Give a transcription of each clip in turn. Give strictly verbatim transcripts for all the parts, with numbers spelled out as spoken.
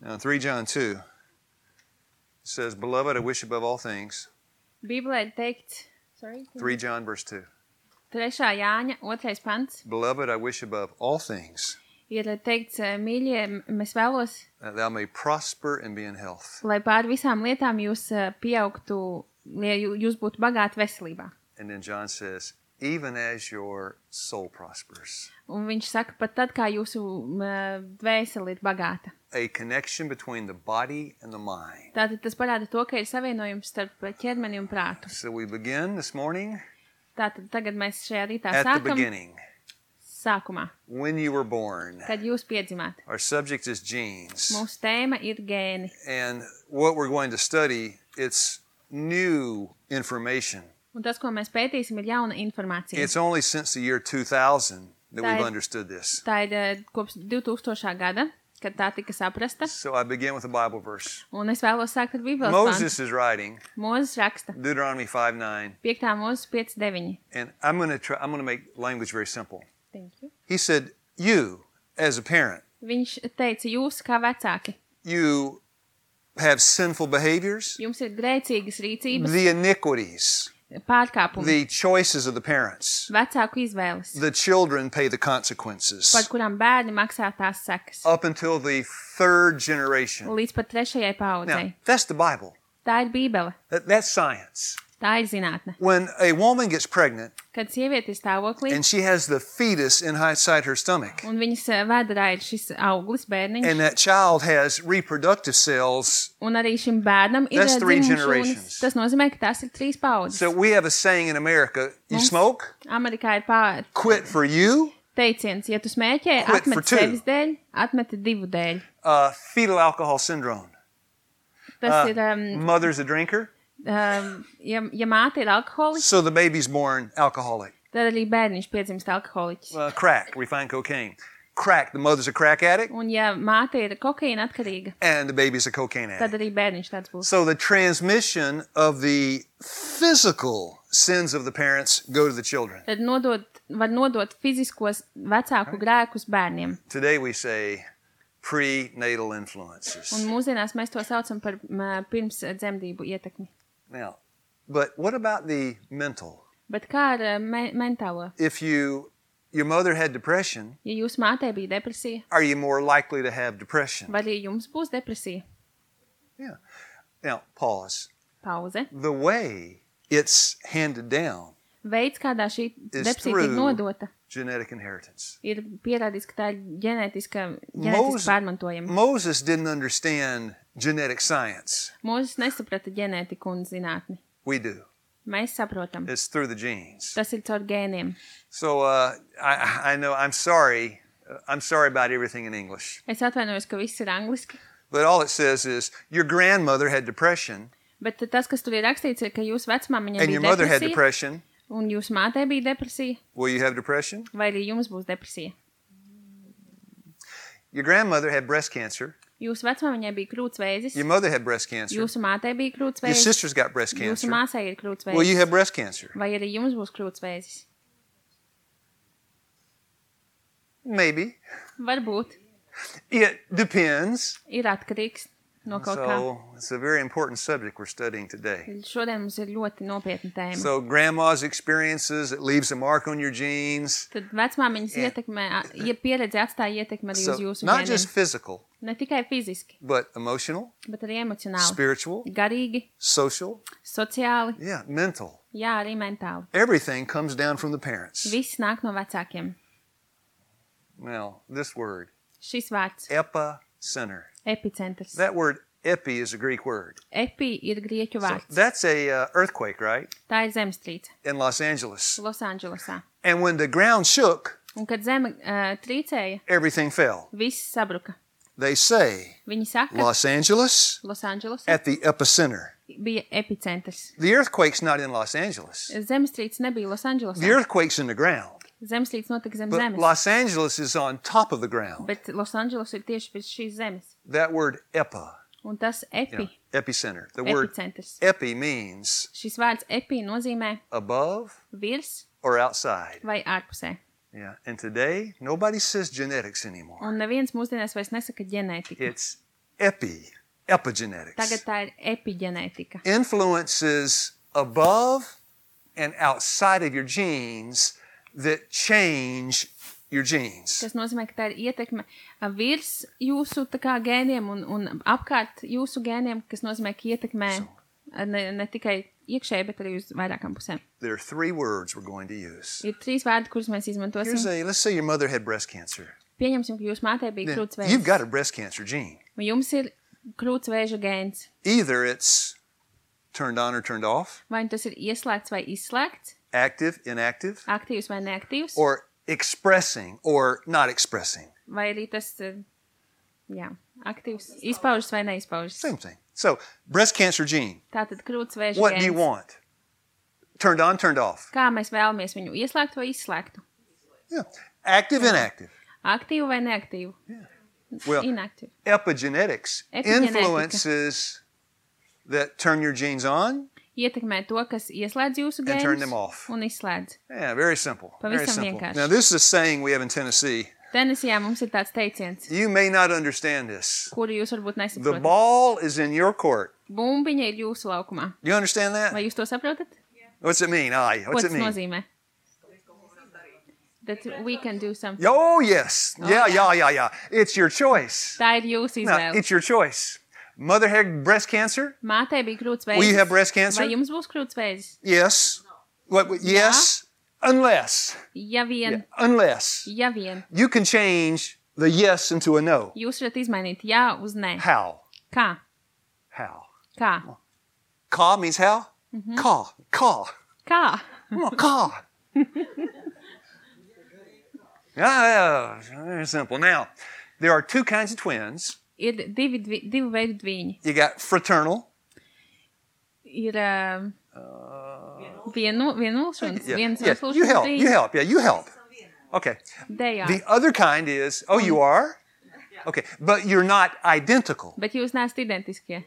Now, three John two says, Beloved, I wish above all things. Bībelē ir teikts, sorry, three John verse two. trešā Jāņa, otrais pants, Beloved, I wish above all things ir teikts, mīļie, mēs vēlos, that thou may prosper and be in health. lai pār visām lietām jūs eh, pieaugtu, lai jū- jūs būtu bagāti veselībā. And then John says, even as your soul prospers. Un viņš saka, pat tad, kā jūsu eh, dvēsele ir bagāta. A connection between the body and the mind. Tātad tas parāda to, ka ir savienojums starp ķermeni un prātu. So we begin this morning Tātad tagad mēs šajā rītā at the sākam beginning, sākumā, when you were born. kad jūs piedzimāt. Our subject is genes. Mūsu tēma ir gēni. And what we're going to study, it's new information. Un tas, ko mēs pētīsim, ir jauna informācija. It's only since the year two thousand that That- we've understood this. Tā ir eh, kopš divtūkstošā gada, kad tā tika saprasta. So I begin with a Bible verse. Un es vēlos sākt ar Bībeles pantu. Moses is writing Mūzes raksta. Deuteronomy five nine, piektā mūzes pieci deviņi. and I'm going to try I'm going to make language very simple. Thank you. He said, "You as a parent, Viņš teica, jūs kā vecāki, you have sinful behaviors, jums ir grēcīgas rīcības, the iniquities, pārkāpumi, the choices of the parents. vecāku izvēles, The children pay the par consequences kurām bērni maksā tās sekas, up until the third generation." līdz pat trešajai Now, paudzei. that's the Bible. Tā ir Bībele, That, that's science. tā ir zinātne. When a woman gets pregnant Kad sieviete ir stāvoklī, and she has the fetus inside her stomach, un viņas eh, vēderā ir šis auglis, bērniņš, and that child has reproductive cells, un arī šim bērnam ir That's eh, three dzimuma generations. šūnas, tas nozīmē, ka tās ir trīs paudzes. so we have a saying in America, you Mums- smoke, Amerikā ir pā, quit for you, teiciens, ja tu smēķē, Quit for atmeti two. sevis dēļ, atmeti divu dēļ. uh, fetal alcohol syndrome. Tas Uh, ir, um, mother's a drinker, um, ja, ja māte ir alkoholiķis, so the baby's born alcoholic. tad arī bērniņš piedzimst alkoholiķis. Uh, crack, refined cocaine. Crack, the mother's a crack addict, Un ja māte ir kokaīna atkarīga, and the baby's a cocaine addict. tad arī bērniņš tāds būs. So the transmission of the physical sins of the parents go to the children. Tad nodot, var nodot fiziskos vecāku grēkus bērniem. Today we say prenatal influences. Un mūsdienās mēs to saucam par m, pirms dzemdību ietekmi. Now, but what about the mental? Bet kā ar eh, me mentālo? If you your mother had depression, Ja jūsu mātei bija depresija, are you more likely to have depression? vai arī jums būs depresija? Yeah. Now, pause. Pauze. The way it's handed down, Veids, kādā šī Is depresija through- tiek nodota, genetic inheritance. ir pierādīts, ka tā ir ģenētiska, Moses- ģenētiski pārmantojama. Moses didn't understand genetic science. Mūzes nesaprata ģenētiku un zinātni. We do. Mēs saprotam. It's through the genes. Tas ir caur gēniem. So uh, I, I know I'm sorry. Uh, I'm sorry about everything in English. Es atvainojos, ka viss ir angliski, But all it says is your grandmother had depression bet tas, kas tur ir rakstīts, ir, ka jūsu vecmāmiņai and bija your mother had depresija, depression. un jūsu mātei bija depresija, Will you have depression? vai arī jums būs depresija. Your grandmother had breast cancer. Jūsu vecmāmiņai bija krūtsvēzis, Your mother had breast cancer. jūsu mātei bija Your krūtsvēzis, sister's got breast jūsu cancer. māsai ir Will you krūtsvēzis, have breast cancer? vai arī jums būs krūtsvēzis. Maybe. Varbūt It depends. ir atkarīgs no kaut kā. So it's a very important subject we're studying today. Šodien mums ir ļoti nopietna tēma. So grandma's experiences, it leaves a mark on your genes. Tad vecmāmiņas Yeah. ietekmē, ja pieredze atstāja ietekmi arī uz So jūsu not just ģeniem. physical, Ne tikai fiziski, but emotional, bet arī emocionāli, spiritual, garīgi, social, sociāli, yeah, mental. jā, arī mentāli. Everything comes down from the parents. Viss nāk no vecākiem. Now, this word, Šis vārds epicenter. - epicentrs. That word epi is a Greek word. Epi ir grieķu So vārds. that's a uh, earthquake, right? Tā ir zemestrīce In Los Angeles. Losandželosā. And when the ground shook, Un kad zeme uh, trīcēja, everything fell. viss sabruka. They say Viņi saka, Los Angeles Losandželosā at the epicenter. bija epicentrs. The earthquake's not in Los Angeles. Zemestrīce nebija The Losandželosā. earthquake's in the ground. Zemestrīce notika zem But zemes. Los Angeles is on top of the ground. Bet Losandželos ir tieši virs šīs zemes. That word epa, Un tas you epi, know, epicenter. The word epicentrs. epi means Šis vārds epi nozīmē above virs or outside. vai ārpusē. Yeah. And today, nobody says genetics anymore. Un neviens mūsdienās vairs nesaka ģenētika. It's epi, epigenetics. Tagad tā ir epigenētika. Influences above and outside of your genes that change your genes. Tas nozīmē, ka tā ir ietekme ā, virs jūsu tā kā gēniem un, un apkārt jūsu gēniem, kas nozīmē, ka ietekmē ā, ne, ne tikai iekšēji, bet arī uz vairākām pusēm. There are three words we're going to use. Ir trīs vārdi, kurus mēs izmantosim. Here's a, let's say your mother had breast cancer. Pieņemsim, ka jūsu mātei bija Then krūts you've vēža. got a breast cancer gene. Vai jums ir krūts vēža gēns? Either it's turned on or turned off, Vai tas ir ieslēgts vai izslēgts? active, inactive, Aktīvs vai neaktīvs? or expressing or not expressing. Vai arī tas ir, jā, aktīvs, izpaužas vai neizpaužas? Same thing. So, breast cancer gene. Tātad krūts vēža What do you gēns. want? Turned on, turned off. Kā mēs vēlamies viņu ieslēgt vai izslēgtu? Yeah. Active, inactive. Aktīvu vai neaktīvu? Well, Inaktīvu. epigenetics Epigenetika. influences that turn your genes on. Ietekmē to, kas ieslēdz jūsu And turn them gēnus off. un izslēdz. Yeah, very simple. Very Pavisam simple. vienkārši. Now, this is a saying we have in Tennessee. Tenisijā mums ir tāds teiciens, You may not understand this. kuru jūs varbūt The nesaprotat. ball is in your court. Bumbiņa ir jūsu laukumā. You understand that? Vai jūs to saprotat? What's it mean? Aye. Ko What's tas it mean? nozīmē? That we can do something. Oh, yes. Yeah, yeah, yeah, yeah. It's your choice. Tā ir jūsu Now, izvēle. it's your choice. Mother had breast cancer? Mātei bija krūts Will you have vēzis. breast cancer? Vai jums būs krūts vēzis? Yes. What? what- Yes. Unless. Ja vien, Yeah, unless. ja vien, You can change the yes into a no. jūs varat izmainīt jā uz nē. How? Kā? How? Kā? Ka means how? Mm-hmm. Ka. Ka. Kā? Come on, ka. Yeah, yeah, very simple. Now, there are two kinds of twins. Ir divi, dvi, divu veidu dviņi. You got fraternal. Ir um, vienu, vienulšanas, Yeah, viens yeah. otrs You help. dviņi. You help. Yeah, you help. Okay. They are. The other kind is, oh, you are? Okay, but you're not identical. Bet jūs neesat identiskie.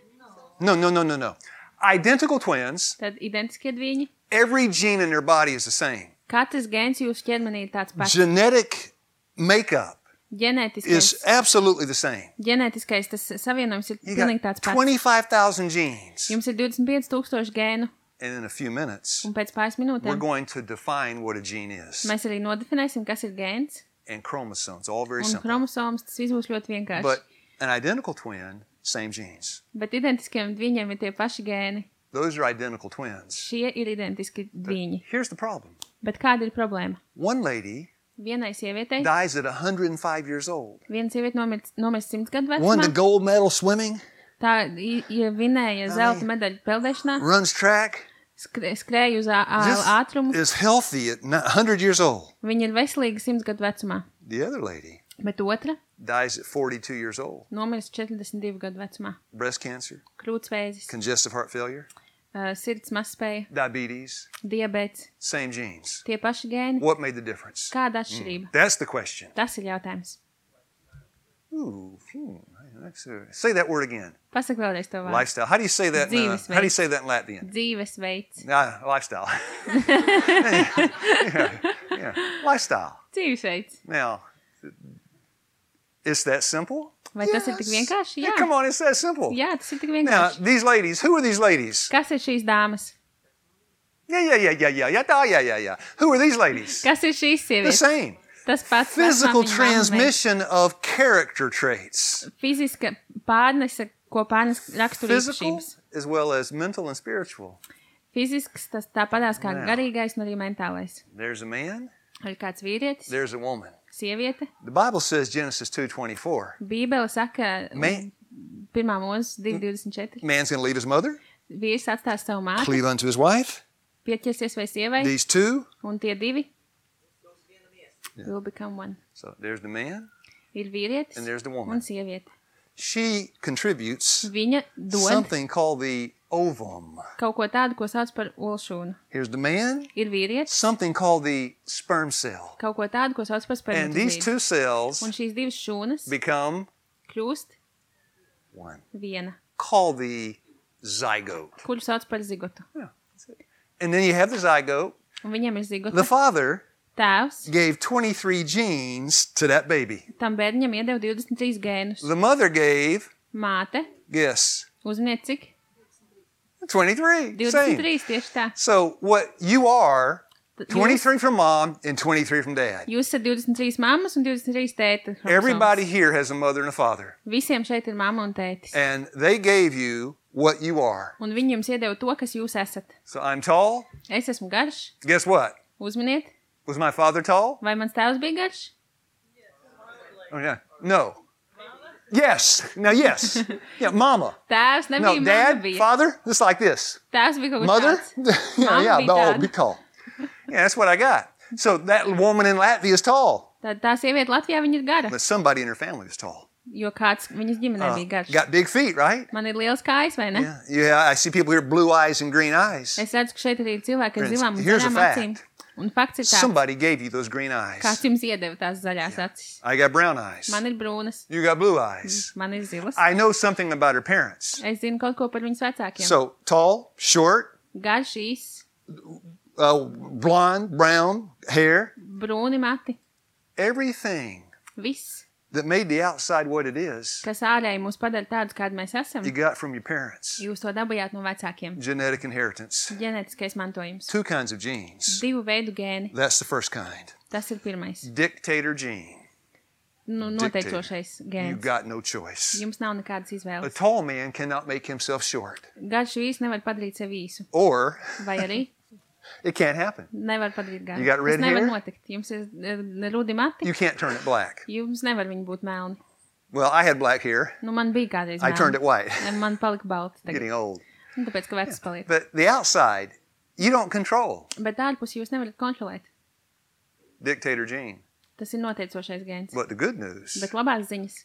No, no, no, no, no. Identical twins, Tad identiskie dviņi. every gene in their body is the same. Katrs gēns jūsu ķermenī ir tāds pats. Genetic makeup Ģenētiskais, is absolutely the same. ģenētiskais tas savienojums ir You pilnīgi got tāds pats. twenty-five thousand genes. Jums ir divdesmit pieci tūkstoši gēnu, And in a few minutes, un pēc pāris we're minūtēm going to define what a gene is. mēs arī nodefinēsim, kas ir gēns, And chromosomes, all very un simple. chromosomas, tas viss būs ļoti vienkārši. But an identical twin, same genes. Bet identiskiem dviņiem ir tie paši gēni. Those are identical twins. Šie ir identiski dviņi. Here's the problem. Bet kāda ir problēma? One lady Vienai sievietei, dies at one hundred five years old. viena sieviete nomirst nomirst simts gadu Won the vecumā, gold medal swimming, tā i- i- vinēja zelta medaļu peldēšanā, runs track, skr- skrēja uz ā- ā- just ātrumu. is healthy at one hundred years old. Viņa ir veselīga simts gadu vecumā. The other lady Bet otra dies at forty-two years old. nomirst četrdesmit divu gadu vecumā. Breast cancer, Krūtsvēzis, congestive heart failure, uh, sirds mazspēja, diabetes, diabēts, same genes. tie paši gēni. What made the difference? Kāda atšķirība? That's the question. Tas ir jautājums. Ooh, hmm, that's a- say that word again. Pasaka vēlreiz to vārdu. Lifestyle. How do you say that? In, uh, Dzīvesveids. how do you say that in Latvian? Dzīvesveids. Ah, lifestyle. yeah, yeah. Lifestyle. Dzīvesveids. Now, is that simple? Vai tas ir tik vienkārši? Yeah, Jā. come on, it's that simple. Jā, tas ir tik Now, vienkārši. these ladies, who are these ladies? Kas ir šīs dāmas? Yeah, yeah, yeah, yeah, yeah, yeah, yeah, yeah, yeah, yeah. Who are these ladies? Kas ir šīs The sievietes? same. Tas pats Physical vecmāmiņa, mamma, transmission of character traits. Fiziska pārnese, ko pārnes Physical raksturīpašības. as well as mental and spiritual. Fizisks, tas tāpatās kā Jā. garīgais un arī mentālais. There's a man, Ir kāds vīrietis, there's a woman. sieviete. The Bible says Genesis two twenty-four. Bībele saka, Man- pirmā mūzes divi divdesmit četri. Man's going to leave his mother, Vīrs atstās savu māti, cleave unto his wife. pieķersies vai sievai, These two. un tie divi will become one. So there's the man, Ir vīrietis and there's the un woman. sieviete. She contributes Viņa dod something called the ovum. kaut ko tādu, ko sauc par olšūnu. Here's the man, Ir vīrietis, something called the sperm cell. kaut ko tādu, ko sauc par And these spermatozīdu. two cells Un šīs divas šūnas become kļūst one, viena, called the zygote. kuru sauc par zigotu. Yeah, that's it. And then you have the zygote. Un viņam ir The zigota. father Tēvs gave twenty-three genes to that baby. tam bērniņam iedeva divdesmit trīs gēnus. The mother gave Māte. Guess. Uzminiet, cik? twenty-three. divdesmit Same. trīs, tieši tā. So what you are, Jūs, twenty-three from mom and twenty-three from dad. jūs esat divdesmit trīs mammas un divdesmit trīs tēta. Everybody here has a mother and a father. Visiem šeit ir mamma un tētis. And they gave you what you are. Un viņi jums iedeva to, kas jūs esat. So I'm tall. Es esmu garš. Guess what? Uzminiet, Was my father tall? vai mans tēvs bija garš? Oh, yeah. No. Yes. Now, yes. Yeah, mama. Tēvs No, nebija, mamma dad, bija. father, just like this. Tēvs bija kaut kas Mother? tāds. yeah, Mama yeah, bija oh, tāda. be tall. Yeah, that's what I got. So that woman in Latvia is tall, Tad tā sieviete Latvijā, viņa ir gara, but somebody in her family is tall. jo kāds viņas ģimenē Uh, bija garš. got big feet, right? Man ir liels kājas, vai ne? Yeah, yeah. I see people here with blue eyes and green eyes. Es redzu, ka šeit arī ir cilvēki ar Friends, zilām un here's a zaļām fact. acīm. Un fakts ir tāds, Somebody gave you those green eyes. kāds jums iedeva tās zaļās acis. I got brown eyes. Man ir brūnas, You got blue eyes. man ir zilas. I know something about her parents. Es zinu kaut ko par viņas vecākiem. So tall, short, Garš, īs, uh, blonde, brown hair, brūni mati. everything Viss, that made the outside what it is, kas ārēji mūs padara tādus, kādi mēs esam, you got from your parents. jūs to dabījāt no vecākiem. Genetic inheritance. Ģenētiskais mantojums. Two kinds of genes. Divu veidu gēni. That's the first kind. Tas ir pirmais. Dictator gene. Nu, noteicošais You've gēns. got no choice. Jums nav nekādas A izvēles. tall man cannot make himself short. Garš vīrs nevar padarīt sevi īsu. Or Vai arī it can't happen. nevar padarīt garu. You got red Tas nevar hair? notikt. Jums ir eh, rudi mati. You can't turn it black. Jums nevar viņi būt melni. Well, I had black hair. Nu, man bija kādreiz I turned melni. it white. Man palika balti tagad. Getting old. Nu, tāpēc, ka vecs paliek. But the outside, you don't control. Bet ārpus jūs nevarat kontrolēt. Dictator gene. Tas ir noteicošais gēns. But the good news, Bet labās ziņas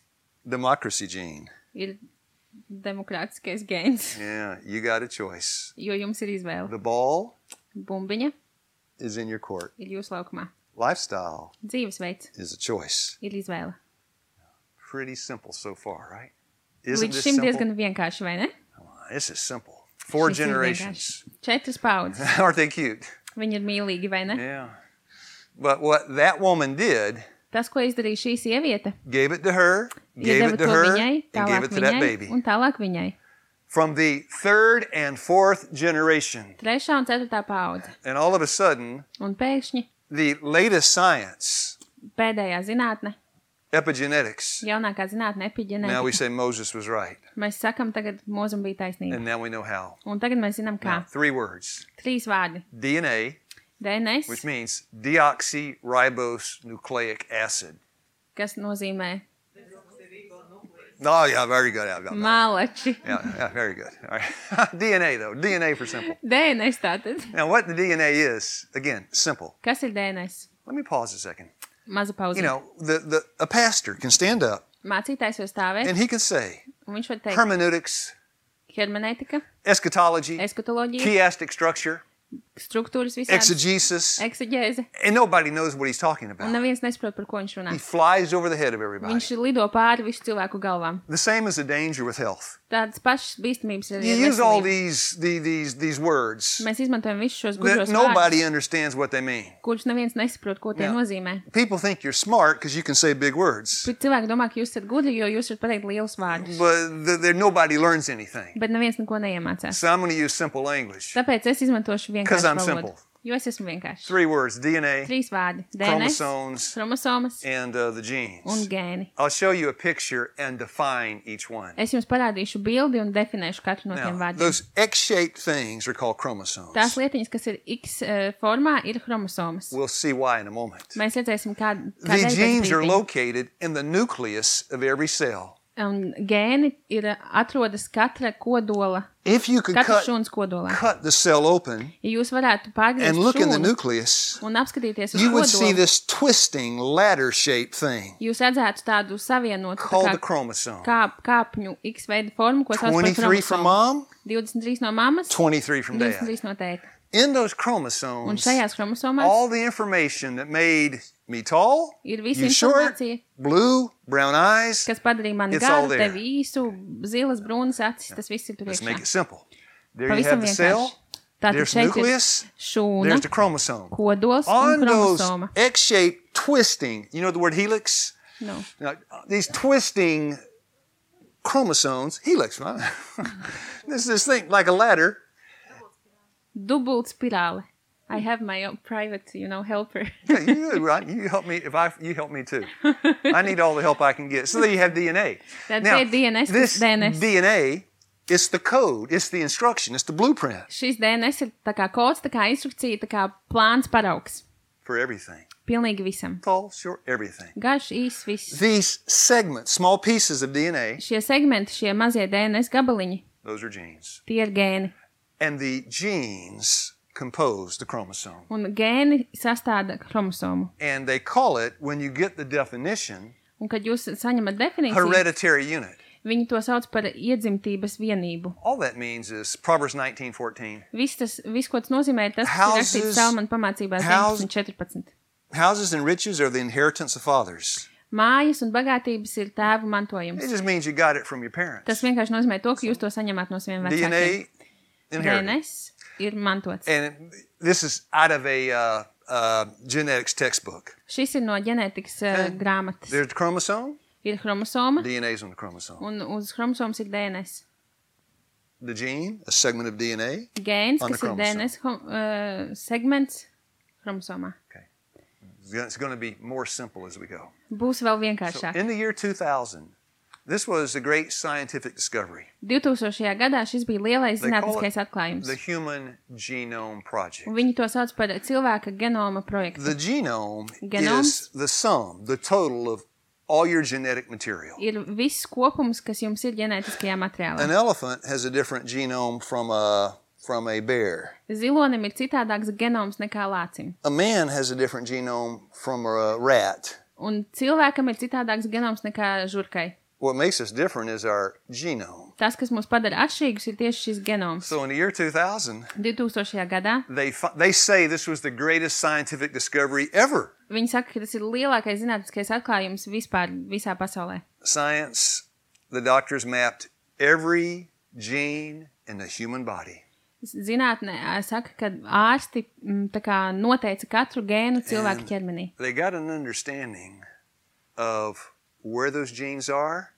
democracy gene. ir demokrātiskais gēns, Yeah, you got a choice. jo jums ir izvēle. The ball Bumbiņa is in your court. ir jūsu laukumā. Lifestyle Dzīvesveids is a choice. ir izvēle. Pretty simple so far, right? Isn't Līdz this šim simple? diezgan vienkārši, vai ne? This is simple. Four Šis ir generations. vienkārši. Četras paudzes. Aren't they cute? Viņi ir mīlīgi, vai ne? Yeah. But what that woman did, Tas, ko izdarīja šī sieviete, gave it to her, gave iedeva it to to her, viņai, and gave tālāk it to that viņai baby. un tālāk viņai. From the third and fourth generation. Trešā un ceturtā paudze. And all of a sudden, Un pēkšņi the latest science, pēdējā zinātne, epigenetics, jaunākā zinātne, now we epiģenētika. say Moses was right. Mēs sakam tagad, mūzum bija taisnība. And now we know how. Un tagad mēs zinām, kā. Now, three words. Trīs vārdi. D N A, D N S, which means deoxyribonucleic acid. kas nozīmē Oh, yeah, very good. Yeah, yeah, mālači. yeah, yeah, very good. All right. D N A, though. D N A for simple. D N S tātad. Now, what the D N A is, again, simple. Kas ir D N S? Let me pause a second. Maza pauze. You know, the, the, a pastor can stand up Mācītājs var stāvēt, and he can say un viņš var teikt hermeneutics, hermenētika, eschatology, eskatoloģija, chiastic structure, struktūras visādas, exegesis, eksegēze, and nobody knows what he's talking un about. neviens nesaprot, par ko viņš runā. He flies over the head of everybody. Viņš lido pāri visu cilvēku galvām. The same as the danger with health. Tādas pašas bīstamības ir You ar use all veselību. these, the, these, these words Mēs izmantojam visus šos that gudros nobody vārdus, understands what they mean. kurus neviens nesaprot, ko tie Jā. nozīmē. People think you're smart because you can say big words, Bet cilvēki domā, ka jūs esat gudri, jo jūs varat pateikt lielus vārdus. but th- there, nobody learns anything. Bet neviens neko neiemācās. So I'm going to use simple language. Tāpēc es izmantošu 'Cause vienkāršu I'm valodu. simple. Jo es esmu vienkārši. Three words, D N A, Trīs vārdi. D N S, chromosomes, chromosomas and uh, the un genes. gēni. I'll show you a picture and define each one. Es jums parādīšu bildi un definēšu katru no tiem Now, vārdiem. those X-shaped things are called chromosomes. Tās lietiņas, kas ir X uh, formā, ir chromosomas. We'll see why in a moment. Mēs redzēsim, kā, The kādēļ tas genes are brīdī. located in the nucleus of every cell. Un gēni ir atrodas katra kodola, If you could katra cut, šūnas kodolā. cut the cell open Ja jūs varētu and pārgriezt look in the šūnu nucleus, un apskatīties uz you would see kodolu, this twisting ladder-shaped thing jūs redzētu tādu savienotu tā called kā the chromosome. kāp, kāpņu X veida formu, ko sauc par twenty-three from chromosomu. mom, divdesmit trīs no mammas, twenty-three from dad. divdesmit trīs no tēta. In those Un chromosomes, šajās chromosomās all the information that made me tall, ir visa you short, informācija, blue, brown eyes. kas padarīja mani It's all garu, there. tevi īsu, zilas, brūnas acis, tas viss ir tur Let's make it iekšā. simple. There you Pavisam have the vienkārši. cell, Tātad there's šeit ir nucleus, šūna, there's the chromosome. kodols On un those chromosoma. X-shaped twisting, you know the word helix? No. Now, these twisting chromosomes, helix. This is this thing like a ladder. Dubult spirāle. I have my own private, you know, helper. Yeah, you, right? You help me if I. You help me too. I need all the help I can get. So there you have D N A. Tad Now, ir D N S, this D N S. D N A, it's the code, it's the instruction, it's the blueprint Šis D N S ir tā kā kods, tā kā instrukcija, tā kā plāns paraugs. for everything. Pilnīgi visam. Tall, short, everything. Garš, īs, viss. These segments, small pieces of D N A, Šie segmenti, šie mazie D N S gabaliņi, those are genes. tie ir gēni. And the genes compose the chromosome. Un gēni sastāda chromosomu. And they call it, when you get the definition, Un kad jūs saņemat definīciju, hereditary unit. viņi to sauc par iedzimtības vienību. All that means is Proverbs nineteen fourteen. Viss, tas, viss ko tas nozīmē, ir tas, kas Houses- ir rakstīts Salmana pamācībās house- deviņpadsmit četrpadsmit. Houses and riches are the inheritance of fathers. Mājas un bagātības ir tēvu mantojums. It just means you got it from your parents. Tas vienkārši nozīmē to, ka jūs to saņemat no saviem D N vecākiem. A D N inherited. S ir mantots. And it, this is out of a uh, uh, genetics textbook. Šis ir no ģenētikas uh, And grāmatas. There's a chromosome. Ir chromosoma, D N A's on the chromosome. un uz chromosomas ir D N S. The gene, a segment of D N A. Gēns, On the kas ir D N S hom- uh, segments chromosomā. It's going to be more simple as we go. Būs vēl So vienkāršāk. in the year two thousand, this was a great scientific discovery. divtūkstošajā gadā šis bija lielais They call zinātniskais it atklājums. the Human Genome Project. Un viņi to sauc par cilvēka genoma projektu. The genome Genomes? is the sum, the total of all your genetic material. Ir viss kopums, kas jums ir ģenētiskajā An materiālā. elephant has a different genome from a from a bear. Zilonim ir citādāks genoms nekā lācim. A man has a different genome from a rat. Un cilvēkam ir citādāks genoms nekā žurkai. What makes us different is our genome. Tas, kas mūs padara atšķirīgus, ir tieši šis genoms. So in the year two thousand, divtūkstošajā gadā they fi- they say this was the greatest scientific discovery ever. viņi saka, ka tas ir lielākais zinātniskais atklājums vispār visā pasaulē. Science, the doctors mapped every gene in the human body. Zinātnē ā, saka, ka ārsti mm, tā kā noteica katru gēnu cilvēka And ķermenī. They got an understanding of where those genes are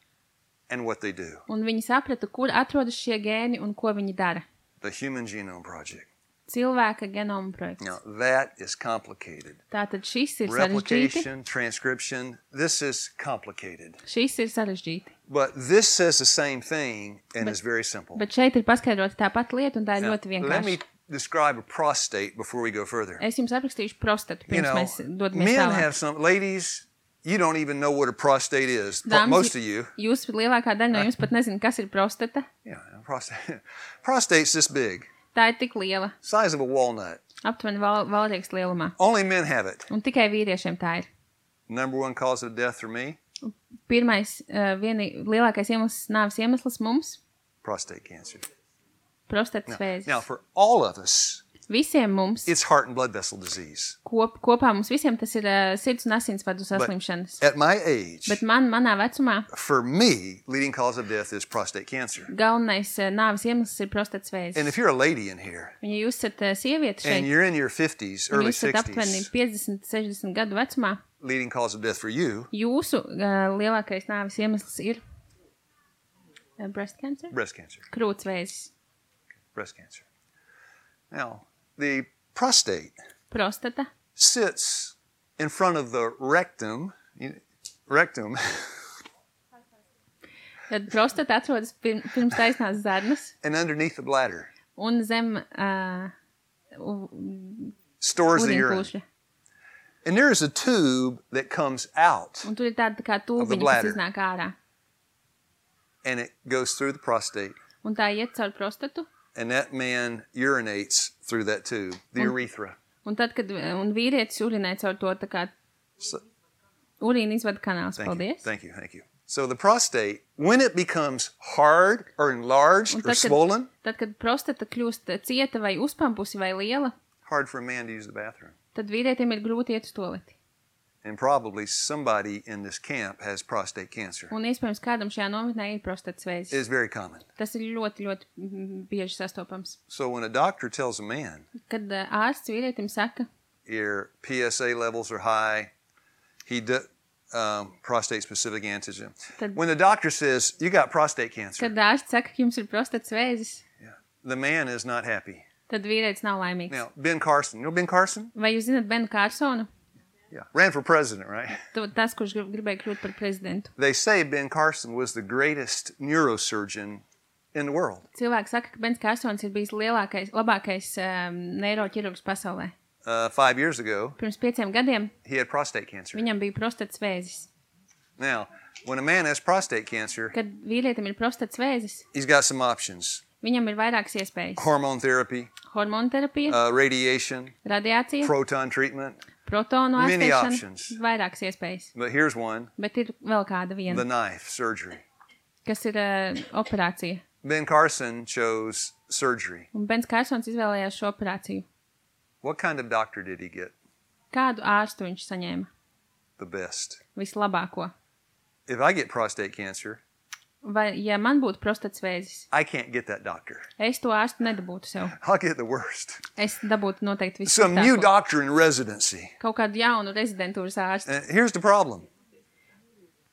and what they do. Un viņi saprata, kur atrodas šie gēni un ko viņi dara. The Human Genome Project. Cilvēka genoma projekts. Now, that is complicated. Tātad šis ir sarežģīti. Replication, transcription, this is complicated. Šis ir sarežģīti. But this says the same thing and is very simple. Bet šeit ir paskaidrota tā pati lieta, un tā ir Now, ļoti let me vienkārša. describe a prostate before we go further. Es jums aprakstīšu prostatu, You pirms know, mēs dodamies men tālāk. have some, ladies, you don't even know what a prostate is. Pro- Dāmas, Most of you. Jūs lielākā daļa no jums pat nezina, kas ir prostata. Yeah, prostate. Prostate's this big, Tā ir tik liela, size of a walnut. aptuveni val, valrieks lielumā. Only men have it. Un tikai vīriešiem tā ir. Number one cause of death for me, Pirmais, uh, vieni, lielākais iemesls, nāves iemesls mums prostate cancer. - prostatas Now, vēzis. now, for all of us, Visiem mums, it's heart and blood vessel disease. kop, kopā mums visiem tas ir uh, sirds un asinsvadu saslimšanas. At my age, Bet man, manā vecumā, for me, leading cause of death is prostate cancer. galvenais uh, nāves iemesls ir prostatas vēzis. And if you're a lady in here, Un ja jūs esat uh, sieviete and šeit, you're in your fifties, un early jūs esat aptuveni sixties, piecdesmit, sešdesmit gadu vecumā, leading cause of death for you, jūsu uh, lielākais nāves iemesls ir uh, breast cancer? breast cancer. Krūts vēzis. Breast cancer. Now, the prostate Prostata sits in front of the rectum. You- Rectum. Tad prostata atrodas pirm, pirms taisnās zarnas And underneath the bladder un zem uh, u- stores the urine. ūdeņkūša. And there is a tube that comes out Un tur ir tāda tā kā Of the tūbiņa, kas bladder. iznāk ārā. and it goes through the prostate. Un tā iet caur prostatu. And that man urinates through that tube, the Un- urethra. Un tad, kad un vīrietis urinē caur to tā kā So, urīna izvada kanāls. thank you, Paldies. thank you, thank you. So the prostate, when it becomes hard or enlarged Un or tad, kad, swollen, tad, kad prostata kļūst cieta vai uzpampusi vai liela, hard for a man to use the bathroom. tad vīrietim ir grūti iet uz toleti. And probably somebody in this camp has prostate cancer. Un iespējams kādam šajā nometnē ir prostatas It vēzis. is very common. Tas ir ļoti, ļoti mm, bieži sastopams. So when a doctor tells a man Kad uh, ārsts vīrietim saka, your P S A levels are high, he do, um, prostate-specific antigen. Tad- When the doctor says, you got prostate cancer, Kad ārsts saka, ka jums ir prostatas vēzis, the man is not happy. tad vīrietis nav laimīgs. Now, Ben Carson, you know Ben Carson? Vai jūs zināt Benu Kārsonu? Yeah. Ran for president, right? Tu- Tas, kurš grib- gribēja kļūt par prezidentu. They say Ben Carson was the greatest neurosurgeon in the world. Cilvēki saka, ka Bens Kārsons ir bijis lielākais, labākais um, neiroķirurgs pasaulē. Uh, five years ago, Pirms pieciem gadiem he had prostate cancer. viņam bija prostatas vēzis. Now, when a man has prostate cancer, Kad vīrietim ir prostatas vēzis, he's got some options. viņam ir vairākas iespējas. Hormone therapy, Hormonu terapija, uh, radiation, radiācija, proton treatment. protonu many ārstēšana, options. vairākas iespējas. But here's one, Bet ir vēl kāda the viena, knife surgery. kas ir uh, operācija. Ben Carson chose surgery. Un Bens Kārsons izvēlējās šo operāciju. What kind of doctor did he get? Kādu ārstu viņš saņēma? The best. Vislabāko. If I get prostate cancer, Vai, ja man būtu prostatas vēzis, I can't get that doctor. es to ārstu nedabūtu sev. I'll get the worst. Es dabūtu noteikti Some new visu. doctor in residency. Kaut kādu jaunu rezidentūras ārstu. And here's the problem.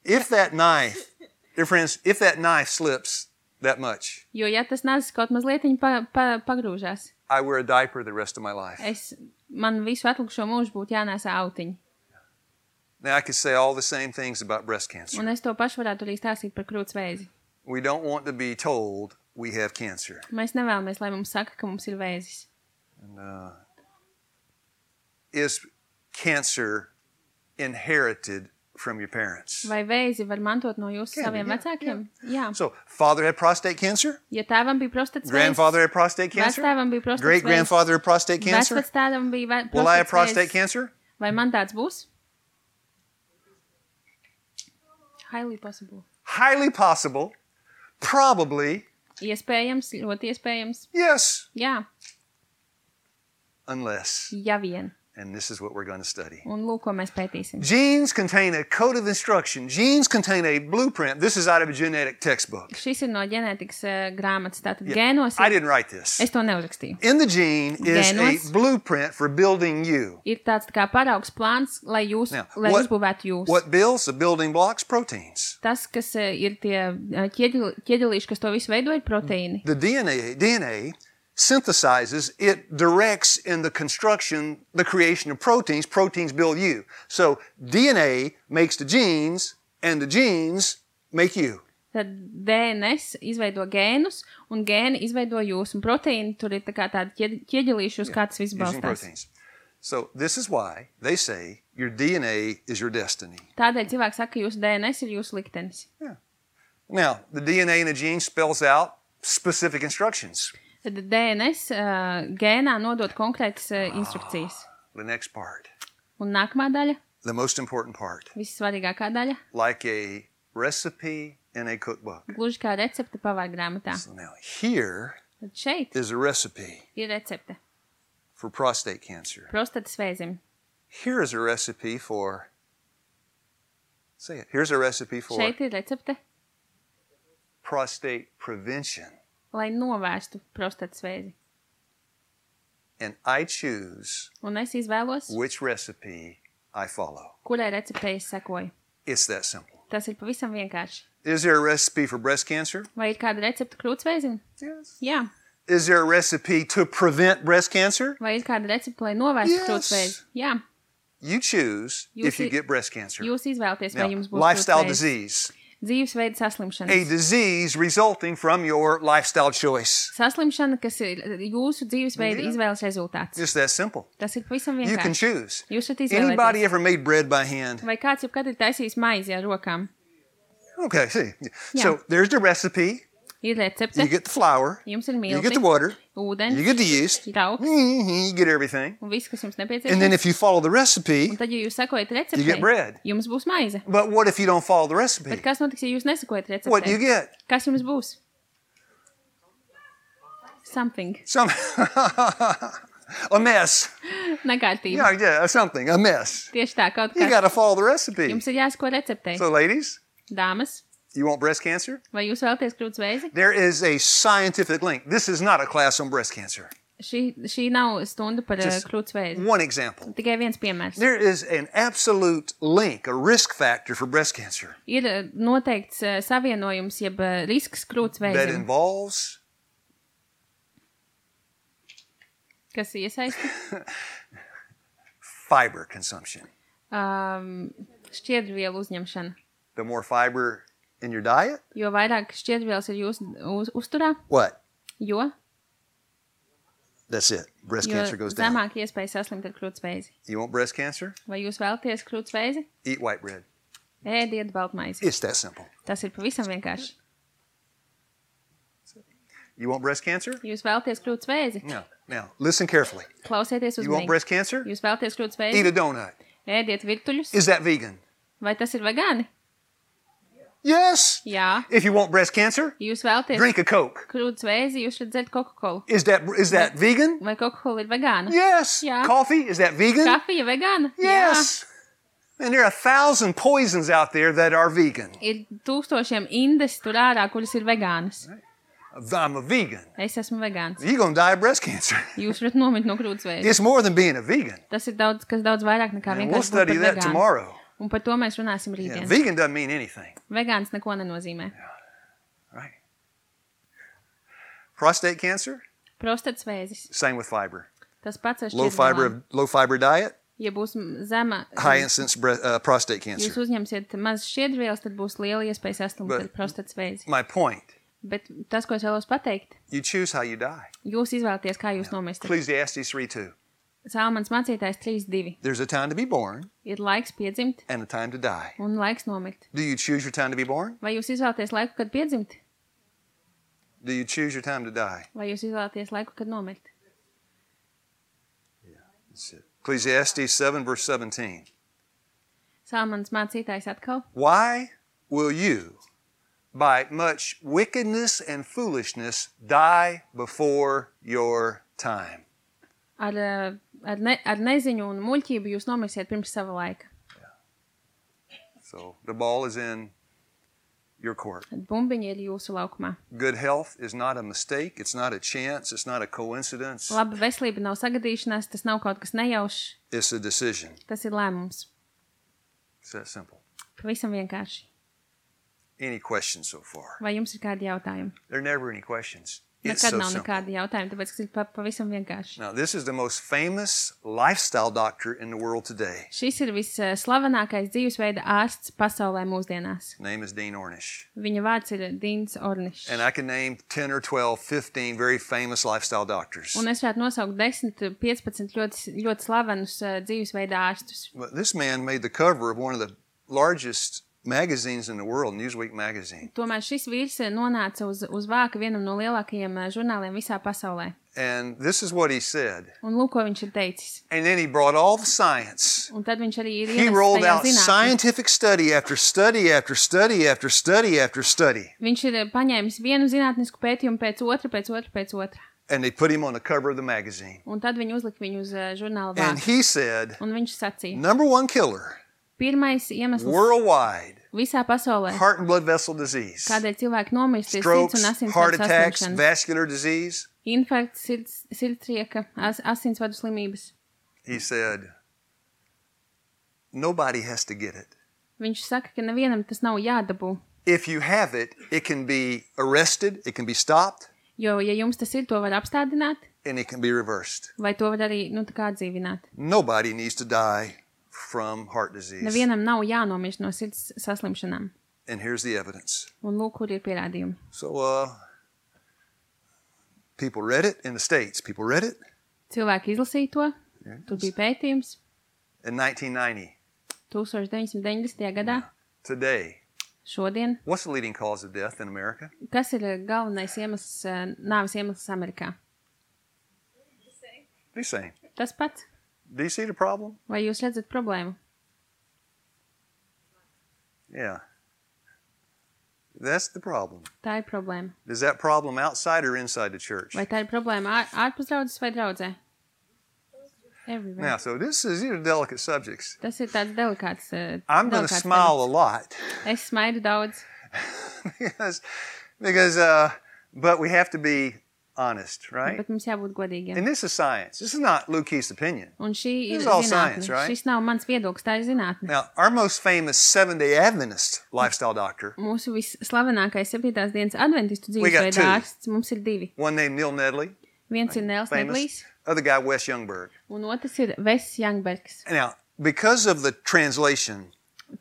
If that knife, dear friends, if that knife slips that much, Jo, ja tas nazis kaut mazliet pa, pa, pagrūžās, I wear a diaper the rest of my life. es, man visu atlikušo mūžu būtu jānēsā autiņi. Now, I could say all the same things about breast cancer. Un es to pašu varētu arī stāstīt par krūts vēzi. We don't want to be told we have cancer. Mēs nevēlamies, lai mums saka, ka mums ir vēzis. And, uh, is cancer inherited from your parents? Vai vēzi var mantot no jūsu Can be, saviem yeah, vecākiem? Jā. So, father had prostate cancer, Ja tēvam bija prostatas vēzis, grandfather had prostate cancer, vectēvam bija prostatas great vēzis, grandfather had prostate cancer. vecvectēvam bija ve- Will I have prostatas prostate vēzis, cancer? vai man tāds būs? Highly possible. Highly possible. Probably. Iespējams, ļoti iespējams. Yes. Jā, Unless. ja vien. And this is what we're going to study. Un lūk, ko mēs pētīsim. Genes contain a code of instruction. Genes contain a blueprint. This is out of a genetic textbook. Šis ir no ģenētikas uh, grāmatas. Tātad gēnos I ir, didn't write this. es to neuzrakstīju. In the gene is Genos. a blueprint for building you. Ir tāds tā kā paraugs plāns, lai jūs, Now, lai what- uzbūvētu jūs. What builds the building blocks? Proteins. Tas, kas uh, ir tie uh, ķieģeli- ķieģelīši, kas to visu veido, ir proteīni. The D N A, D N A synthesizes, it directs in the construction, the creation of proteins. Proteins build you. So D N A makes the genes, and the genes make you. Tad D N S izveido gēnus, un gēni izveido jūs, un proteīni tur ir tā kā tādi ķie- ķieģelīši, uz kā tas viss Using balstās. proteins. So this is why they say your D N A is your destiny. Tādēļ cilvēks saka, ka jūsu D N S ir jūsu liktenis. Now, the D N A in a gene spells out specific instructions. Tad D N S uh, gēnā nodot konkrētas uh, instrukcijas. The next part, Un nākamā daļa, the most important part, vissvarīgākā daļa, like a recipe in a cookbook. gluži kā recepte pavāra grāmatā. So now here Tad šeit is a recipe ir recepte for prostate cancer. prostatas vēzim. Here is a recipe for, say it, here's a recipe for Šeit ir recepte, prostate prevention. lai novērstu prostatas vēzi. And I choose Un es izvēlos, which recipe I follow. kurai receptei es sekoju. It's that simple. Tas ir pavisam vienkārši. Is there a recipe for breast cancer? Vai ir kāda recepte krūtsvēzim? Yes. Jā. Is there a recipe to prevent breast cancer? Vai ir kāda recepte, lai novērstu Yes. krūtsvēzi? Jā. You choose You if you see- get breast cancer. Jūs izvēlaties, vai Now, jums būs lifestyle krūtsvēzis. disease. Dzīvesveida A saslimšana. disease resulting from your lifestyle choice. Saslimšana, kas ir jūsu dzīvesveida Yeah. izvēles rezultāts. Just that simple. Tas ir pavisam You can vienkārši. choose. Jūs varat Anybody izvēlēties. ever made bread by hand? Vai kāds jebkad ir taisījis maizi ar rokām? Okay, see. Yeah. So there's the recipe. Ir recepte, You get the flour. jums ir You get the milti, water. ūdens, You get the yeast. trauks mhm, You get everything. un viss, kas jums And nepieciešams. then if you follow the recipe, Un tad, ja jūs sekojat You get bread. receptei, jums būs maize. but what if you don't follow the recipe? Bet kas notiks, ja jūs nesakojat What do you receptei? get? Kas jums būs? Something. Some a mess. Nekārtība. Yeah, yeah, something, a mess. Tieši tā, kaut You kas. got to follow the recipe. Jums ir jāsako receptei. So, ladies, Dāmas, you want breast cancer? vai jūs vēlaties krūts vēzi? There is a scientific link. This is not a class on breast cancer. šī, šī nav stunda par uh, Just krūts vēzi. one example. Tikai viens piemērs. There is an absolute link, a risk factor for breast cancer Ir uh, noteikts uh, savienojums, jeb uh, risks krūts that vēzim, involves kas iesaisti fiber consumption. um, šķiedrvielu uzņemšanu. The more fiber in your diet, Jo vairāk šķiedrvielas ir jūsu uz, uzturā, what? jo, That's it. Breast jo cancer goes down. zemāk iespēja saslimt ar krūts vēzi. You want breast cancer? Vai jūs vēlaties krūts vēzi? Eat white bread. Ēdiet baltmaizi. It's that simple. Tas ir pavisam vienkārši. You want breast cancer? Jūs vēlaties krūts vēzi? No. Now, listen carefully. Klausieties You want uzmanīgi. breast cancer? Jūs vēlaties krūts Eat vēzi? a donut. Ēdiet virtuļus? Is that vegan? Vai tas ir vegāni? Yes. Jā. If you want breast cancer, Jūs vēlaties drink a Coke. krūts vēzi, jūs varat dzert Coca-Colu. Is that is that vegan? Vai Coca-Cola ir vegāna? Yes. Yeah. Coffee, is that vegan? Kafija vegāna? Yes. And there are a thousand poisons out there that are vegan. Jā. Ir tūkstošiem indes tur ārā, kuras ir vegānas. I'm a vegan. Es esmu vegāns. You're going to die of breast cancer. Jūs varat nomirt no krūts vēzi. It's more than being a vegan. Tas ir daudz, kas daudz vairāk nekā And we'll vienkārši būt study par that vegānu. tomorrow. Un par to mēs runāsim Yeah, rītdien. vegan doesn't mean anything. Vegāns neko nenozīmē. Right. Prostate cancer, Prostats vēzis. same with fiber. Tas pats ar Low fiber šķiedrvielām. low fiber diet, Ja būs zema, high incidence bre- uh, prostate jūs cancer. uzņemsiet maz šķiedrvielas, tad būs liela iespēja saslimt But- ar prostats vēzi. My point, Bet tas, ko es vēlos pateikt, you choose how you die. jūs izvēlaties, kā jūs nomirstat. Ecclesiastes three two. Salmans mācītājs trīs divi. There's a time to be born Ir laiks piedzimt and a time to die. un laiks nomirt. Do you choose your time to be born? Vai jūs izvēlaties laiku, kad piedzimt? Do you choose your time to die? Vai jūs izvēlaties laiku, kad nomirt? That's it. Ecclesiastes seven verse seventeen. Salmans mācītājs atkal. Why will you, by much wickedness and foolishness, die before your time? Ar, eh, ar, ne, ar neziņu un muļķību jūs nomirsiet pirms sava laika. So the ball is in your court. Tad bumbiņi ir jūsu laukumā. Good health is not a mistake. It's not a chance. It's not a coincidence. Laba veselība nav sagadīšanās, tas nav kaut kas nejaušs, It's a decision. tas ir lēmums. It's that simple. Pavisam vienkārši. Any questions so far? Vai jums ir kādi jautājumi? There are never any questions. It's Nekad so nav simple. nekādi jautājumi, tāpēc, ka tas ir pa, pavisam vienkārši. Now, this is the most famous lifestyle doctor in the world today. Šis ir visslavenākais dzīvesveida ārsts pasaulē mūsdienās. His name is Dean Ornish. Viņa vārds ir Dīns Ornišs. And I can name ten or twelve, fifteen very famous lifestyle doctors. Un es varētu nosaukt desmit, piecpadsmit ļoti, ļoti slavenus uh, dzīvesveida ārstus. But this man made the cover of one of the largest magazines in the world, Newsweek magazine. Tomēr šis vīrs nonāca uz, uz vāka vienam no lielākajiem uh, žurnāliem visā pasaulē. And this is what he said. Un lūk, ko viņš ir teicis. And then he brought all the science. Un tad viņš arī ir He ienesis rolled tajā out zinātni. scientific study after study after study after study after study. Viņš ir paņēmis vienu zinātnisku pētījumu pēc otra, pēc otra, pēc otra. And they put him on the cover of the magazine. Un tad viņi uzlika viņu uz uh, žurnāla And vāka. he said, Un viņš sacīja, number one killer pirmais iemesls worldwide, visā pasaulē, heart and blood vessel disease, kādēļ cilvēki nomirst, ir sirds strokes, un asinsvadu heart attacks, saslimšanas, vascular disease. infarkts, sirds, sirdsrieka, as, asinsvadu slimības. He said, nobody has to get it. Viņš saka, ka nevienam tas nav jādabū, If you have it, it can be arrested, it can be stopped, jo, ja jums tas ir, to var apstādināt, and it can be reversed. vai to var arī, nu, tā kā atdzīvināt. Nobody needs to die from heart disease. Nevienam nav jānomirst no sirds saslimšanām. And here's the evidence. Un lūk, kur ir pierādījumi. So, uh, people read it in the States. People read it Cilvēki izlasīja to, tur bija pētījums, in nineteen ninety. deviņdesmit deviņdesmitajā gadā, Today, šodien. what's the leading cause of death in America? Kas ir galvenais iemesls, eh, nāves iemesls Amerikā? The same. Tas pats. Do you see the problem? Vai jūs redzat problēmu? Yeah. That's the problem. Tā ir problēma. Is that problem outside or inside the church? Vai tā ir problēma ār, ārpus draudzes vai draudzē? Everywhere. Now, so this is, these are delicate subjects. Tas ir tāds delikāts. Uh, I'm going to smile a lot Es smaidu daudz, because, because, uh, but we have to be honest, right? Bet mums jābūt godīgiem. And this is science. This is not Luke Keith's opinion. Un šī ir This is all zinātne. science, right? Šis nav mans viedoklis, tā ir zinātne. Now, our most famous Seventh-day Adventist lifestyle doctor, Mūsu visslavenākais septītās dienas adventistu We got dzīvesveida two. ārsts, mums ir divi. one named Neil Nedley, Viens ir Nels famous, Nedlijs, other guy Wes Youngberg. un otrs ir Vess Youngbergs. Now, because of the translation,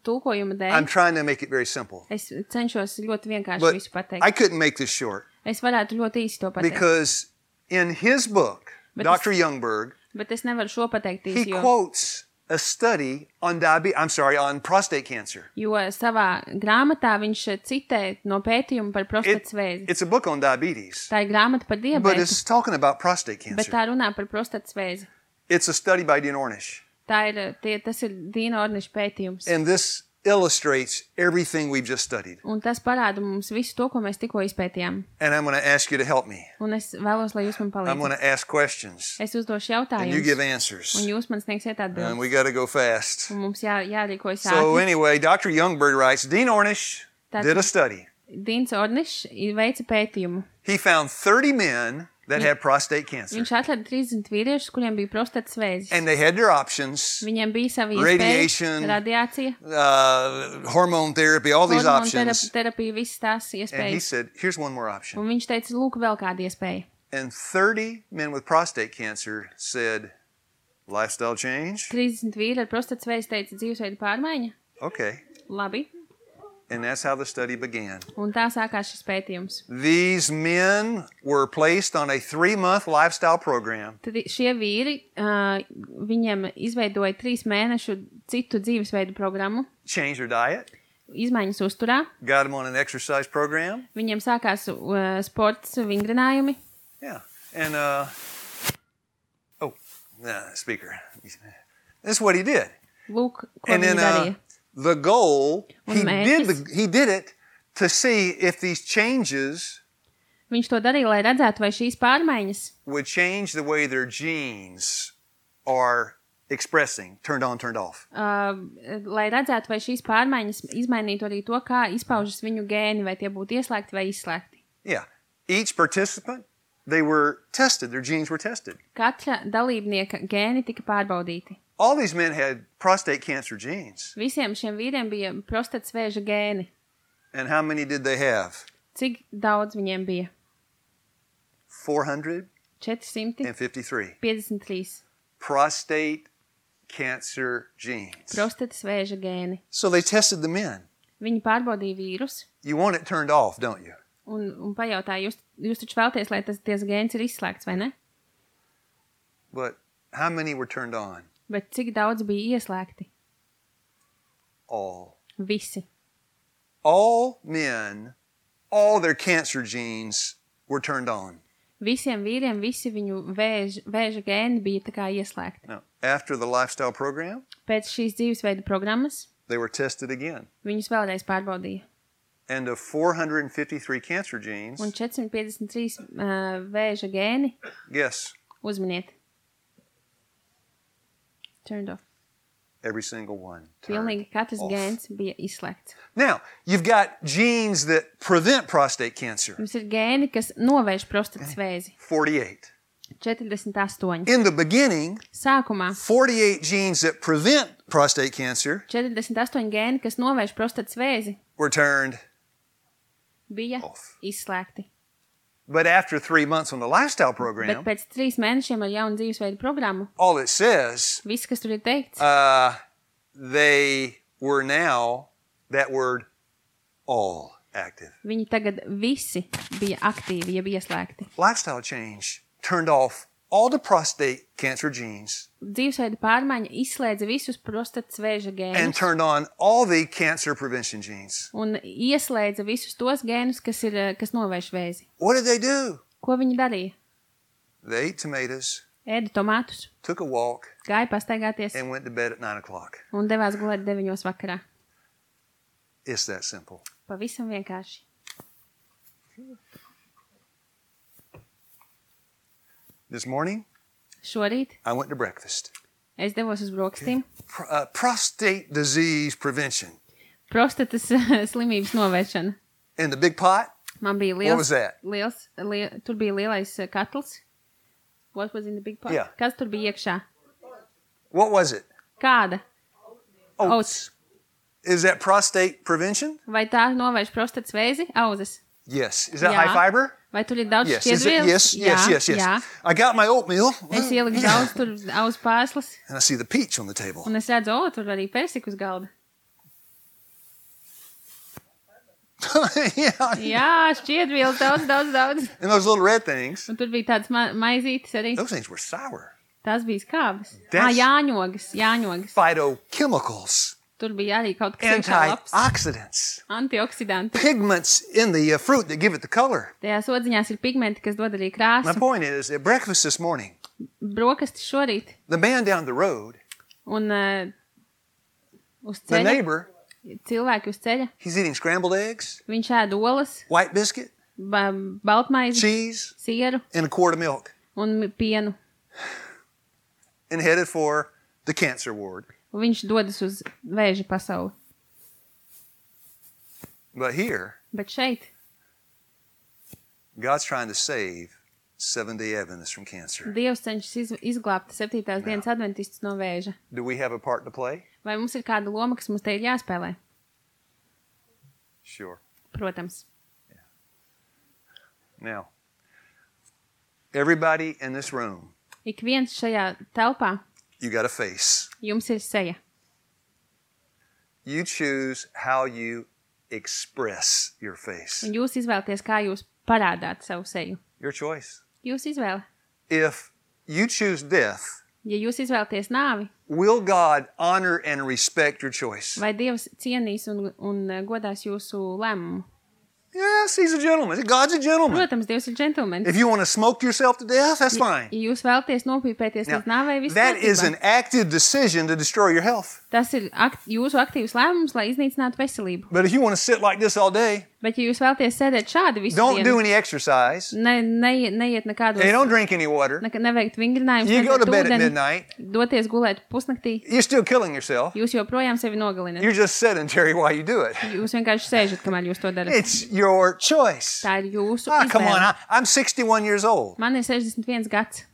Tulkojuma I'm dēļ trying to make it very simple. es cenšos ļoti vienkārši But visu pateikt. I couldn't make this short Es varētu ļoti īsi to pateikt, because in his book, But Doctor Youngberg, bet es nevaru šo pateikt he īsi, jo, quotes a study on diabetes, I'm sorry, on prostate cancer. jo savā grāmatā viņš citē no pētījuma par It- prostatas vēzi. it's a book on diabetes, Tā ir grāmata par but diabetu, it's talking about prostate bet cancer. tā runā par prostatas vēzi. It's a study by Dean Ornish. Tā ir, tie, tas ir Dīna Orniša pētījums. And this illustrates everything we've just studied. Un tas parāda mums visu to, ko mēs tikko izpētījām. And I'm going to ask you to help me. Un es vēlos, lai jūs man I'm going palīdzat. to ask questions, Es uzdošu and you give jautājumus, answers. un jūs man sniegsiet And atbildes. we got to go fast. Un mums jā, jārīkojas So ātri. anyway, Doctor Youngberg writes, Dean Ornish That's did a it. study. Dīns Ornišs veica pētījumu. He found thirty men that had prostate cancer. Viņš atrada trīsdesmit vīriešus, kuriem bija prostatas vēzis. And they had their options, Viņiem bija savi Radiation, iespējas, radiācija, uh, hormone therapy, all these hormonu options. terap- terapija, visas tās And he iespējas. said, here's one more option. Un viņš teica, lūk, vēl kāda iespēja. And thirty men with prostate cancer said, lifestyle change? trīsdesmit vīri ar prostatas vēzi teica dzīvesveida pārmaiņa. Okay. Labi. And that's how the study began. Un tā sākās šis pētījums. These men were placed on a three-month lifestyle program. Tad šie vīri, uh, viņiem izveidoja trīs mēnešu citu dzīvesveidu programmu, Changed their diet, izmaiņas uzturā. got them on an exercise program. Viņiem sākās uh, sports vingrinājumi. Yeah. And, uh, oh, nah, speaker. That's what he did. Lūk, ko And viņi then uh, darīja. the goal, Un he did, mērķis? the, he did it to see if these changes Viņš to darīja, lai redzētu, vai šīs pārmaiņas would change the way their genes are expressing, turned on, turned off. Uh, lai redzētu, vai šīs pārmaiņas izmainītu arī to, kā izpaužas viņu gēni, vai tie būtu ieslēgti vai izslēgti. Yeah. Each participant, they were tested, their genes were tested. Katra dalībnieka gēni tika pārbaudīti. All these men had prostate cancer genes. Visiem šiem vīriem bija prostatas vēža gēni. And how many did they have? Cik daudz viņiem bija? four hundred četri simti fifty-three. piecdesmit trīs Prostate cancer genes. prostatas vēža gēni. So they tested the men. Viņi pārbaudīja vīrus You want it turned off, don't you? un, un pajautāja, jūs, jūs taču vēlties, lai tas ties gēns ir izslēgts, vai ne? But how many were turned on? Bet cik daudz bija ieslēgti? All. Visi. All men, all their cancer genes were turned on. Visiem vīriem, visi viņu vēž, vēža gēni bija tā kā ieslēgti. Now, after the lifestyle program, Pēc šīs dzīvesveida programmas they were tested again. viņus vēlreiz pārbaudīja. And of four hundred fifty-three cancer genes, Un četrsimt piecdesmit trīs uh, vēža gēni, guess, uzminiet. Turned off. every single one turned Pilnīgi katrs off. gēns bija izslēgts. Now, you've got genes that prevent prostate cancer, Mums ir gēni, kas novērš prostatas vēzi. forty-eight. četrdesmit astoņi. In the beginning, Sākumā forty-eight genes that prevent prostate cancer četrdesmit astoņi gēni, kas novērš prostatas vēzi, were turned bija off. izslēgti. But after three months on the lifestyle Bet program, pēc trīs mēnešiem ar jaunu dzīvesveidu programmu, all it says, viss, kas tur ir teikts, uh, they were now, that word, all active. viņi tagad visi bija aktīvi, jeb ieslēgti. Lifestyle change turned off all the prostate cancer genes Dzīvesveida pārmaiņa izslēdza visus prostatas vēža and gēnus turned on all the cancer prevention genes. un ieslēdza visus tos gēnus, kas, ir, eh, kas novērš vēzi. What did they do? Ko viņi darīja? They ate tomatoes, Ēda tomātus, took a walk, gāja pastaigāties and went to bed at nine o'clock. un devās gulēt deviņos vakarā. It's that simple. Pavisam vienkārši. This morning, Šorīt I went to breakfast. es devos uz brokastīm. Pr- uh, prostate disease prevention. Prostatas slimības novēršana. In the big pot, Man bija What was liels, that? liels li, tur bija lielais uh, katls. What was in the big pot? Yeah. Kas tur bija iekšā? What was it? Kāda? Oats. Is that prostate prevention? Vai tā novērš prostatas vēzi? Auzas. Yes. Is that Jā. high fiber? Vai tur ir daudz Yes. Is it? šķiedrvielas? Yes. Yes. Jā, Yes. Yes. Jā. I got my oatmeal. Es ieliku daudz tur auzu pārslas, And I see the peach on the table. un es redzu, o, tur arī persiku uz galda. Yeah. Jā, šķiedvielas daudz, daudz, daudz. And those little red things, Un tur bija tāds ma maizītis arī. those things were sour. Tas bija skābes. That's- Ā, jāņogas, jāņogas. Phytochemicals, Tur bija arī kaut kas iekšā labs. antioxidants, Antioksidanti. pigments in the uh, fruit that give it the color. Tajās odziņās ir pigmenti, kas dod arī My krāsu. point is, at breakfast this morning, Brokastis šorīt. the man down the road, Un uh, uz the ceļa, neighbor, cilvēki uz ceļa, he's eating scrambled eggs, viņš ēd olas, white biscuit, ba baltmaizi, cheese, sieru and a quart of milk, un pienu. and headed for the cancer ward. Un viņš dodas uz vēža pasauli. But here, Bet šeit God's trying to save Seventh-day Adventists from cancer. Dievs cenšas iz izglābt septītās dienas adventistus no vēža. Do we have a part to play? Vai mums ir kāda loma, kas mums te ir jāspēlē? Sure. Protams. Now, everybody in this room, Ik viens šajā telpā, you got a face. jums ir seja. You choose how you express your face. Un jūs izvēlaties, kā jūs parādāt savu seju. Your choice. Jūs izvēle. If you choose death, Ja jūs izvēlaties nāvi, will God honor and respect your choice? vai Dievs cienīs un, un godās jūsu lēmumu? Yes, he's a gentleman. God's a gentleman. Protams, Dievs ir džentlmenis. If you want to smoke yourself to death, that's fine. Ja jūs vēlaties nopīpēties Now, līdz nāvei, viss that is kārtībā. an active decision to destroy your health. Tas ir akt, jūsu aktīvs lēmums, lai iznīcinātu veselību. But if you want to sit like this all day, Bet ja jūs vēlaties sēdēt šādi visu don't do dienu, any exercise, ne, ne, neiet nekādos, and don't drink any water, ne, neveikt vingrinājumus, you go to nedzert bed at ūdeni, midnight, doties gulēt pusnaktī, you're still killing yourself. jūs joprojām sevi nogalināt. You're just sedentary while you do it. Jūs vienkārši sēžat, kamēr jūs to darat. It's your choice. Tā ir jūsu Ah, come on, izvēle. I, I'm sixty-one years old. Man ir sešdesmit viens gads,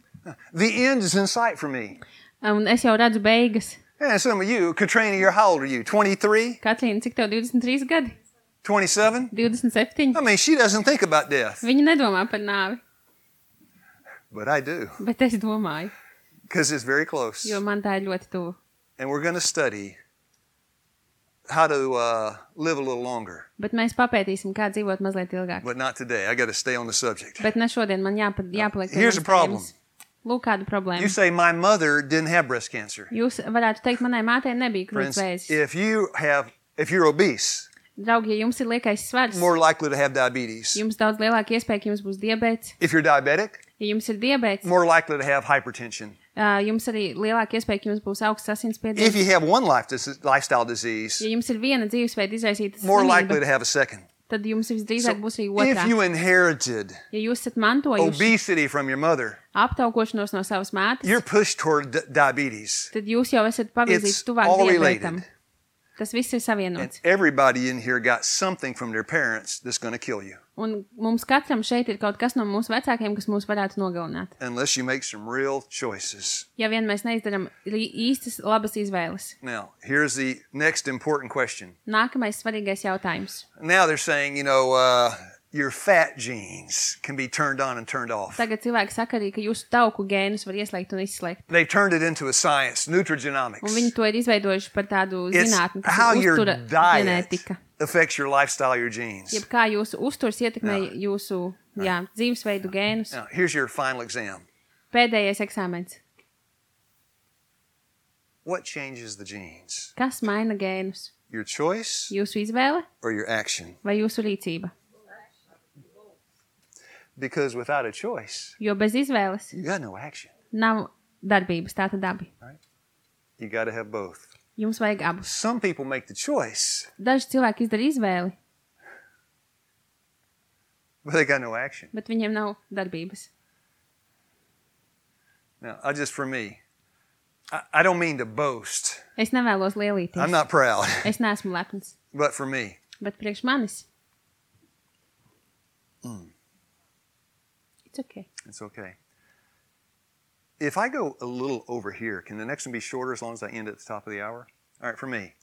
The end is in sight for me. un es jau redzu beigas. And some of you, Katrina, you're how old are you? twenty-three? Katrīna, cik tev divdesmit trīs gadi? twenty-seven? divdesmit septiņi. I mean, she doesn't think about death, Viņa nedomā par nāvi, but I do, bet es domāju, because it's very close. jo man tā ir ļoti tuvu. And we're going to study how to uh, live a little longer, Bet mēs papētīsim, kā dzīvot mazliet ilgāk. but not today. I got to stay on the subject. Bet ne šodien, man jāpa, jāpaliek. pie Here's manas the problem. tēmas. Lūk, kāda problēma. You say, my mother didn't have breast cancer. Jūs varētu teikt, manai mātei nebija Friends, krūts vēzis. if you have, if you're obese, Draugi, ja jums ir liekais svars, more likely to have diabetes. jums daudz lielāka iespēja, ka jums būs diabēts. If you're diabetic, Ja jums ir diabēts, more likely to have hypertension. ā, jums arī lielāka iespēja, ka jums būs augsts If asinsspiediens. you have one life dis- lifestyle disease, Ja jums ir viena dzīvesveida izraisīta more likely to slimība, have a second. tad jums visdrīzāk būs arī If otrā. you inherited Ja jūs esat mantojuši obesity from your mother, aptaukošanos no savas mātes, you're pushed toward d- diabetes. tad jūs jau esat pavirzīts It's tuvāk all diabētam. related. Tas viss ir And savienots. everybody in here got something from their parents that's going to kill you, Un mums katram šeit ir kaut kas no mūsu vecākiem, kas mūs varētu nogalināt. unless you make some real choices. Ja vien mēs neizdaram rī- īstas labas izvēles. Now, here's the next important question. Nākamais svarīgais jautājums. Now they're saying, you know, uh, your fat genes can be turned on and turned off. Tagad cilvēki saka arī, ka jūsu tauku gēnus var ieslēgt un izslēgt. They've turned it into a science, nutrigenomics. Un viņi to ir izveidojuši par tādu It's zinātni, kas how ir your uztura diet ģenētika. affects your lifestyle, your genes. Jeb kā jūsu uzturs ietekmē jūsu jā, dzīvesveidu gēnus. Now, here's your final exam. Pēdējais eksāmens. What changes the genes? Kas maina gēnus? Your choice Jūsu izvēle or your action? vai jūsu rīcība? Because without a choice, Jo bez izvēles you got no action. nav darbības, tā tad abi. You got to have both. Jums vajag abus. Some people make the choice, Daži cilvēki izdara izvēli, but they got no action. bet viņiem nav darbības. Now, I just for me, I, I don't mean to boast. Es nevēlos I'm lielīties. not proud, Es neesmu lepns, but for me, bet priekš manis Mm. It's okay. It's okay. If I go a little over here, can the next one be shorter as long as I end at the top of the hour? All right, for me.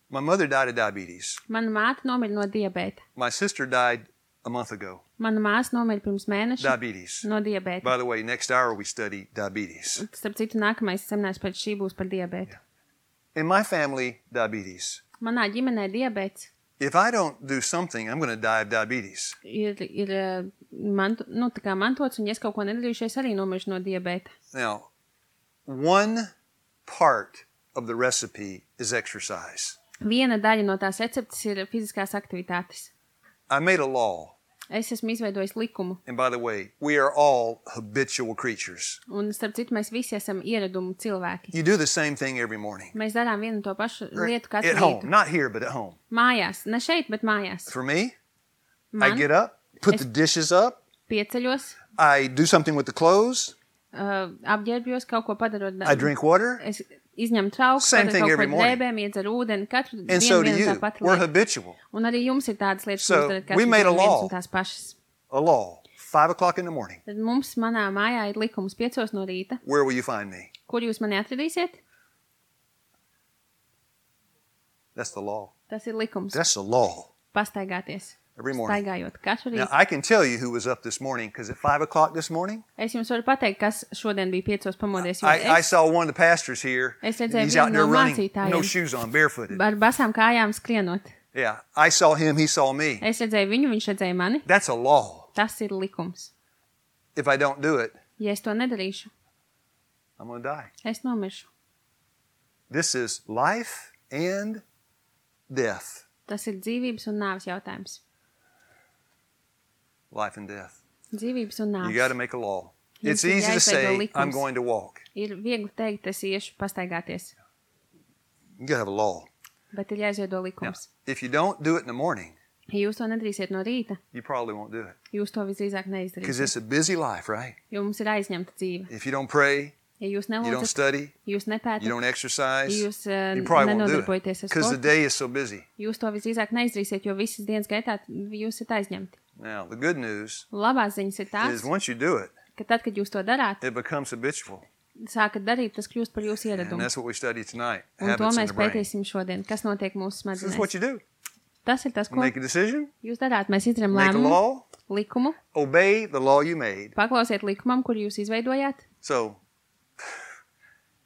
My mother died of diabetes. Mana māte nomira no diabēta. My sister died a month ago. Mana māsa nomira pirms mēneša Diabetes. no diabēta. By the way, next hour we study diabetes. Starp citu, nākamais seminārs pēc šī būs par diabētu. In my family, diabetes. Manā ģimenē diabēts If I don't do something, I'm going to die of diabetes. ir, ir eh, manto, nu, tā kā mantots, un ja es kaut ko nedarīšu, es arī nomiršu no diabēta. Now, one part of the recipe is exercise. Viena daļa no tās receptes ir fiziskās aktivitātes. I made a law. Es esmu izveidojis likumu, And by the way, we are all habitual creatures. un starp citu, mēs visi esam ieradumu cilvēki. You do the same thing every morning. Mēs darām vienu un to pašu lietu katru At home. rītu. Not here, but at home. Mājās, ne šeit, bet mājās. For me, I Man get up, put Es- the dishes up, pieceļos, I do something with the clothes, uh, apģērbjos, kaut ko padarot. I drink water, Es izņemu trauku, Same padaru thing kaut ko every morning. drēbēm, iedzeru ūdeni, katru and dienu so do vienu un you. tā pati We're lieta. habitual. Un arī jums ir tādas lietas, So, ko jūs darat we katru made a dienu vienas law. un tās pašas. A law. Five o'clock in the morning. Tad mums manā mājā ir likums piecos no rīta. Where will you find me? Kur jūs mani atradīsiet? That's the law. Tas ir likums. That's the law. Pastaigāties. Every morning. Staigājot katru Now, rītu. I can tell you who was up this morning, because at five o'clock this morning, Es jums varu pateikt, kas šodien bija piecos pamodies. Jo I, I es saw one of the pastors here. Es and redzēju he's vienu out there no running, mācītājiem. no shoes on, barefooted. ar basām kājām skrienot. Yeah, I saw him, he saw me. Es redzēju viņu, viņš redzēja mani. That's a law. Tas ir likums. If I don't do it, Ja es to nedarīšu, I'm going to die. es nomiršu. This is life and death. Tas ir dzīvības un nāves jautājums. Life and death. Dzīvības un You got to nāves. make a law. Jums It's ir easy to jāizveido say, likums. I'm going to walk. Ir viegli teikt, es iešu pastaigāties, You got to have a law. bet ir jāizveido Now, likums. if you don't do it in the morning, Ja jūs to nedarīsiet no rīta, you probably won't do it. jūs to visdrīzāk Because neizdarīsiet. it's a busy life, right? Jo mums ir aizņemta dzīve. If you don't pray, Ja jūs you don't nelūdzat, study, jūs nepētat, you don't exercise, ja jūs uh, you probably won't do it. nenodarbojaties ar Because the sportu, day is so busy. jūs to visdrīzāk neizdarīsiet, jo visas dienas gaitā jūs esat aizņemti. Now, the good news Labās ziņas ir tās, is once you do it, ka tad, kad jūs to darāt, it becomes habitual. sākat darīt, tas kļūst par jūsu And ieradumu. that's what we study tonight. Un to Habits in mēs the brain. pētīsim šodien. Kas notiek mūsu This is smadzenēs? what you do. Tas ir tas, ko Make a decision, jūs darāt. Mēs izdarām make a lēmumu, law, likumu, obey the law you made. paklausiet likumam, kur jūs izveidojāt. So,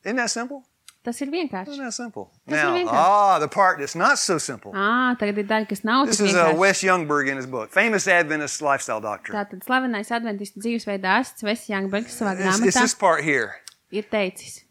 isn't that simple? Tas ir vienkārši. Isn't that simple? Tas ir Now, vienkārši. ah, the part that's not so simple. Ā, tagad ir daļa, kas nav This tik is uh, vienkārši. Wes Youngberg in his book, famous Adventist lifestyle doctor. Tātad slavenais adventistu dzīvesveida ārsts Wes Youngbergs savā It's, it's grāmatā this part here. ir teicis,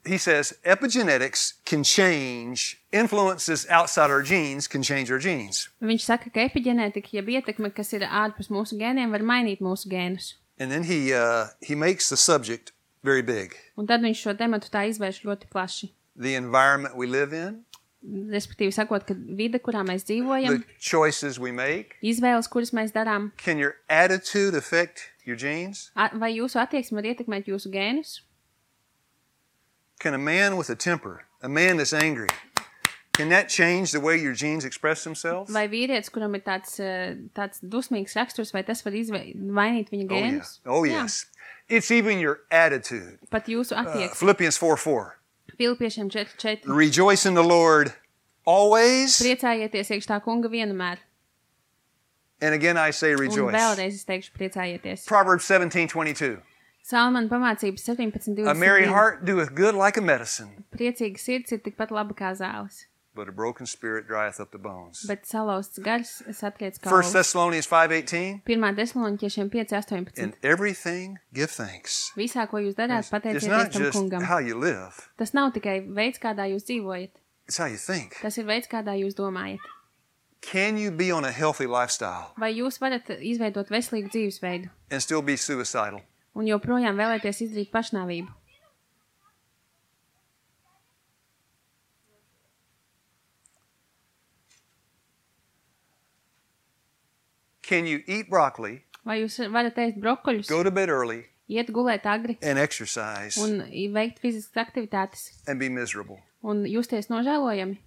He says epigenetics can change, influences outside our genes can change our genes. viņš saka, ka epigenētika, jeb ietekme, kas ir ārpus mūsu gēniem, var mainīt mūsu gēnus. And then he uh, he makes the subject very big. Un tad viņš šo tematu tā izvērš ļoti plaši. The environment we live in, Respektīvi sakot, ka vide, kurā mēs dzīvojam, the choices we make. izvēles, kuras mēs darām, Can your attitude affect your genes? a- vai jūsu attieksme var ietekmēt jūsu gēnus? Can a man with a temper, a man that's angry, can that change the way your genes express themselves? Vai vīrietis, kuram ir tāds, eh, tāds dusmīgs raksturs, vai tas var izve- mainīt viņa Oh, yeah. gēnus? Oh, Jā. yes. It's even your attitude. Pat jūsu Uh, attieksme. Philippians four four. Filipiešiem četri četri. Rejoice in the Lord always. Priecājieties iekš tā kunga vienmēr. And again, I say Un rejoice. vēlreiz es teikšu priecājieties. Proverbs seventeen twenty-two. Salmana pamācības sevenpadsmit A merry divdesmit divi. heart doeth good like a medicine, Priecīga sirds ir tikpat laba kā zāles, but a broken spirit drieth up the bones. bet salauzts gars satriec First kaulus. Thessalonians five eighteen. Pirmā Tesaloniķiešiem pieci astoņpadsmit. In everything give thanks. Visā, ko jūs darāt, It's pateicieties not tam just kungam. how you live, Tas nav tikai veids, kādā jūs dzīvojat. it's how you think. Tas ir veids, kādā jūs domājat. Can you be on a healthy lifestyle Vai jūs varat izveidot veselīgu dzīvesveidu and still be suicidal? un joprojām vēlēties izdarīt pašnāvību? Can you eat broccoli, Vai jūs varat ēst brokoļus, go to bed early, iet gulēt agri and exercise un veikt fiziskas aktivitātes and be miserable? un justies nožēlojami?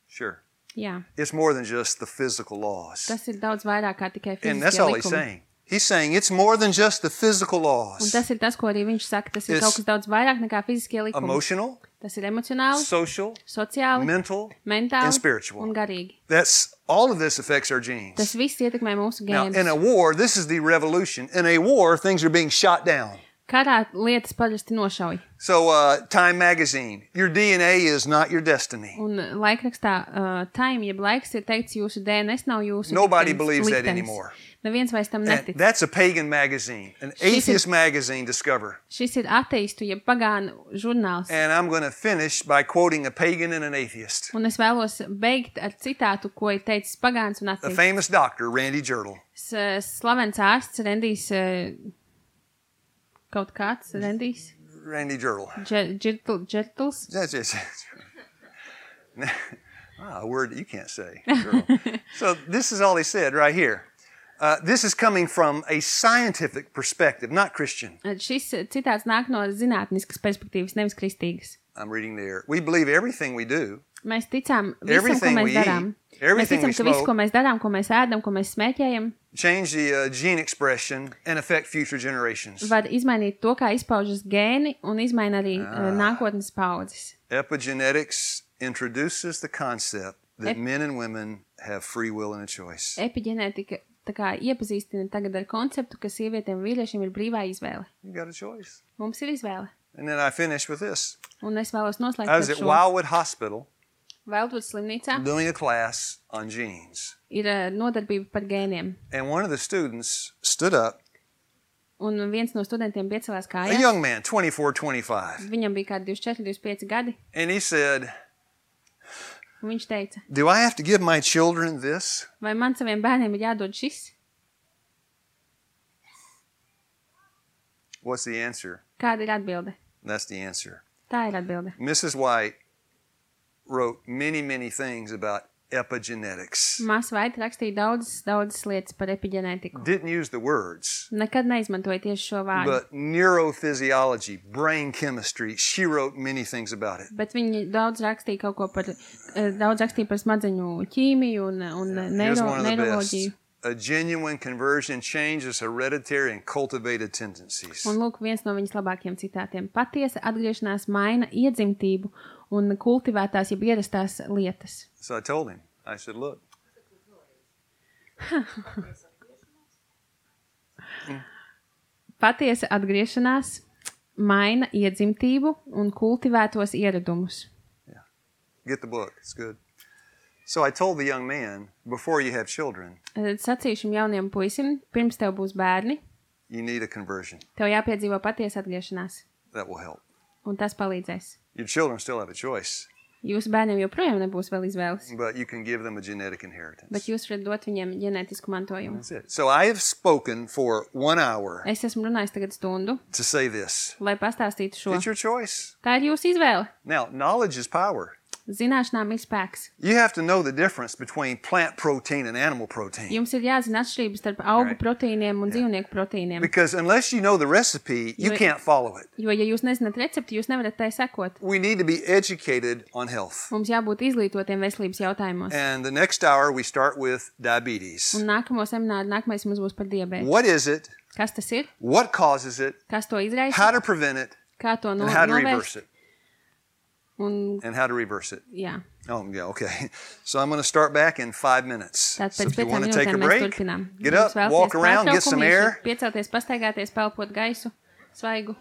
Sure. Jā. It's more than just the physical laws. Tas ir daudz vairāk kā tikai And that's fiziskie all he's likumi. saying. He's saying it's more than just the physical Un laws. tas ir tas, ko arī viņš saka. Tas ir It's kaut kas daudz vairāk nekā fiziskie likumi. Emotional, Tas ir emocionāli, social, sociāli, mental, mentāli and spiritual. un garīgi. That's all of this affects our genes. Tas viss ietekmē mūsu Now, in a gēnus. war, this is the revolution. In a war, things are being shot down. Karā lietas parasti nošauj. So, uh, Time magazine, your D N A is not your destiny. Un laikrakstā uh, Time, jeb laiks, ir teikts, jūsu D N S nav jūsu Nobody liktenis, believes that liktenis. anymore. Neviens vairs tam And netic. that's a pagan magazine, an atheist magazine, Discover. Šis ir ateistu, jeb pagānu žurnāls. And I'm going to finish by quoting a pagan and an atheist. Un es vēlos beigt ar citātu, ko ir teicis pagāns un A ateists. famous doctor, Randy Jertle. Slavens ārsts Rendijs, uh, kaut kāds Rendijs, Randy Jertle. Džirtl, Džirtls. That's just ah, a word that you can't say. Jertle. So this is all he said right here. Uh, this is coming from a scientific perspective, not Christian. Šis citāts nāk no zinātniskas perspektīvas, nevis kristīgas. I'm reading there. We believe everything we do. Mēs ticām visam, ko Everything mēs we darām. eat, everything Mēs ticam, we ka viss, smoke. ko mēs darām, ko mēs ēdam, ko mēs smēķējam, Change the uh, gene expression and affect future generations. var izmainīt to, kā izpaužas gēni un izmaina arī ah. nākotnes paudzes. Epigenetics introduces the concept that Ep- men and women have free will and a choice. Epigenētika tā kā iepazīstina tagad ar konceptu, ka sievietēm un vīriešiem ir brīvā izvēle. You got a choice. Mums ir izvēle. And then I finish with this. Un es vēlos noslēgt I was ar at šo. Wildwood Hospital Veltvuds slimnīcā doing a class on genes. ir uh, nodarbība par gēniem. And one of the students stood up, Un viens no studentiem piecēlās a kājās. young man, twenty-four, twenty-five, Viņam bija kādi divdesmit četri, divdesmit pieci gadi. and he said, Un viņš teica, do I have to give my children this? vai man saviem bērniem ir jādod šis? What's the answer? Kāda ir atbilde? That's the answer. Tā ir atbilde. Missus White wrote many, many things about epigenetics. Māsa Vaita rakstīja daudzas, daudzas lietas par epigenētiku. Didn't use the words, Nekad neizmantoja tieši šo vārdu. but neurophysiology, brain chemistry, she wrote many things about it. Bet viņi daudz rakstīja kaut ko par, eh, daudz rakstīja par smadzeņu ķīmiju un, un Here's neiro, one of the best. neiroloģiju. A genuine conversion changes hereditary and cultivated tendencies. Un lūk, viens no viņas labākiem citātiem. Patiesa atgriešanās maina iedzimtību un kultivētās, jeb ierastās lietas. So I told him, I said, look, Patiesa atgriešanās maina iedzimtību un kultivētos ieradumus. get the book, it's good. So I told the young man, before you have children, Tad sacīju šim jaunajam puisim, pirms tev būs bērni, you need a conversion. tev jāpiedzīvo patiesa atgriešanās. That will help. Un tas palīdzēs. Your children still have a choice, Jūsu bērniem joprojām nebūs vēl izvēles, but you can give them a genetic inheritance. bet jūs varat dot viņiem ģenētisku mantojumu. That's it. So I have spoken for one hour Es esmu runājis tagad stundu, to say this. lai pastāstītu šo. It's your choice. Tā ir jūsu izvēle. Now, knowledge is power. Zināšanām ir spēks. You have to know the difference between plant protein and animal protein. Jums ir jāzina atšķirības starp augu Right. proteīniem un dzīvnieku proteīniem. Because unless you know the recipe, you You- can't follow it. Jo, ja jūs nezināt recepti, jūs nevarat tai sekot. We need to be educated on health. Mums jābūt izglītotiem veselības jautājumos. And the next hour, we start with diabetes. Un nākamo semināru, nākamais mums būs par diabētu. What is it? Kas tas ir? What causes it? Kas to izraisa? How to prevent it? Kā to no, And how to reverse novērst? it? Un, And how to reverse it? jā, Oh, yeah, okay. So I'm going to start back in five minutes. tātad So pēc if you piecām want to take a minūtēm mēs break, turpinām. get Jūs up, vēlaties walk around, get some pārtraukumu, jūs air. varat piecelties, pastaigāties, pelpot gaisu, svaigu.